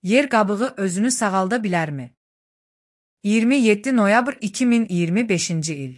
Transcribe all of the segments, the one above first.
Yer qabığı özünü sağalda bilərmi? 27 noyabr 2025-ci il.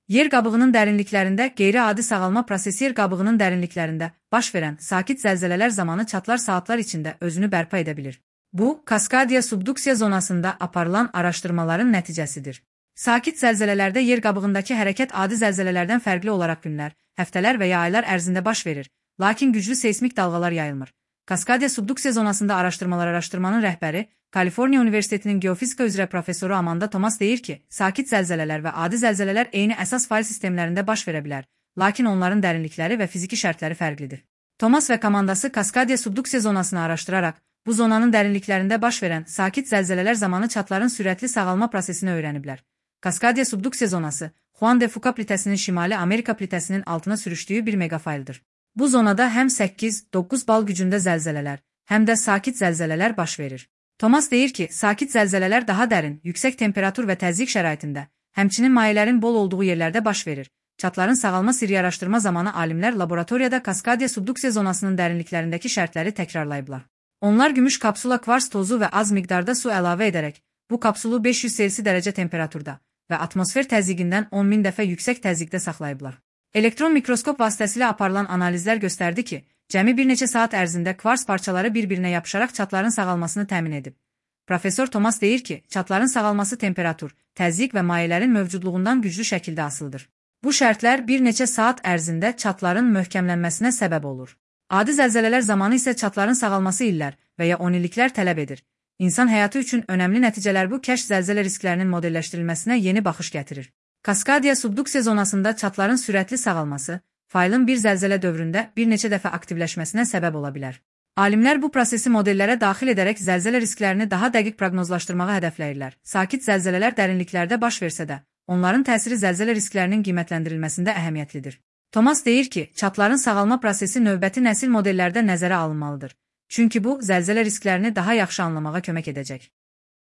Yer qabığının dərinliklərində qeyri-adi sağalma prosesi yer qabığının dərinliklərində baş verən sakit zəlzələlər zamanı çatlar saatlar içində özünü bərpa edə bilir. Bu, Kaskadiya subduksiya zonasında aparılan araşdırmaların nəticəsidir. Sakit zəlzələlərdə yer qabığındakı hərəkət adi zəlzələlərdən fərqli olaraq günlər, həftələr və ya aylar ərzində baş verir, lakin güclü seismik dalğalar yayılmır. Kaskadiya subduksiya zonasında araşdırmanın rəhbəri, Kaliforniya Universitetinin geofizika üzrə professoru Amanda Thomas deyir ki, sakit zəlzələlər və adi zəlzələlər eyni əsas fayl sistemlərində baş verə bilər, lakin onların dərinlikləri və fiziki şərtləri fərqlidir. Thomas və komandası Kaskadiya subduksiya zonasını araşdıraraq, bu zonanın dərinliklərində baş verən sakit zəlzələlər zamanı çatların sürətli sağalma prosesini öyrəniblər. Kaskadiya subduksiya zonası, Juan de Fuca plitəsinin şimali Amerika plitəsinin altına sürüşdüyü bir megafayldır. Bu zonada həm 8-9 bal gücündə zəlzələlər, həm də sakit zəlzələlər baş verir. Thomas deyir ki, sakit zəlzələlər daha dərin, yüksək temperatur və təzyiq şəraitində, həmçinin mayələrin bol olduğu yerlərdə baş verir. Çatların sağalma sirri araşdırma zamanı alimlər laboratoriyada Kaskadiya subduksiya zonasının dərinliklərindəki şərtləri təkrarlayıblar. Onlar gümüş kapsula kvars tozu və az miqdarda su əlavə edərək, bu kapsulu 500 Selsi dərəcə temperaturda və atmosfer təzyiqindən 10.000 dəfə yüksək təzyiqdə saxlayıblar. Elektron mikroskop vasitəsilə aparılan analizlər göstərdi ki, cəmi bir neçə saat ərzində kvars parçaları bir-birinə yapışaraq çatların sağalmasını təmin edib. Professor Thomas deyir ki, çatların sağalması temperatur, təzyiq və mayələrin mövcudluğundan güclü şəkildə asılıdır. Bu şərtlər bir neçə saat ərzində çatların möhkəmlənməsinə səbəb olur. Adi zəlzələlər zamanı isə çatların sağalması illər və ya 10 illiklər tələb edir. İnsan həyatı üçün önəmli nəticələr bu kəşf zəlzələ risklərinin modelləşdirilməsinə yeni baxış gətirir. Kaskadiya subduksiya zonasında çatların sürətli sağalması, faylın bir zəlzələ dövründə bir neçə dəfə aktivləşməsinə səbəb ola bilər. Alimlər bu prosesi modellərə daxil edərək zəlzələ risklərini daha dəqiq proqnozlaşdırmağı hədəfləyirlər. Sakit zəlzələlər dərinliklərdə baş versə də, onların təsiri zəlzələ risklərinin qiymətləndirilməsində əhəmiyyətlidir. Thomas deyir ki, çatların sağalma prosesi növbəti nəsil modellərdə nəzərə alınmalıdır. Çünki bu, zəlzələ risklərini daha yaxşı anlamağa kömək edəcək.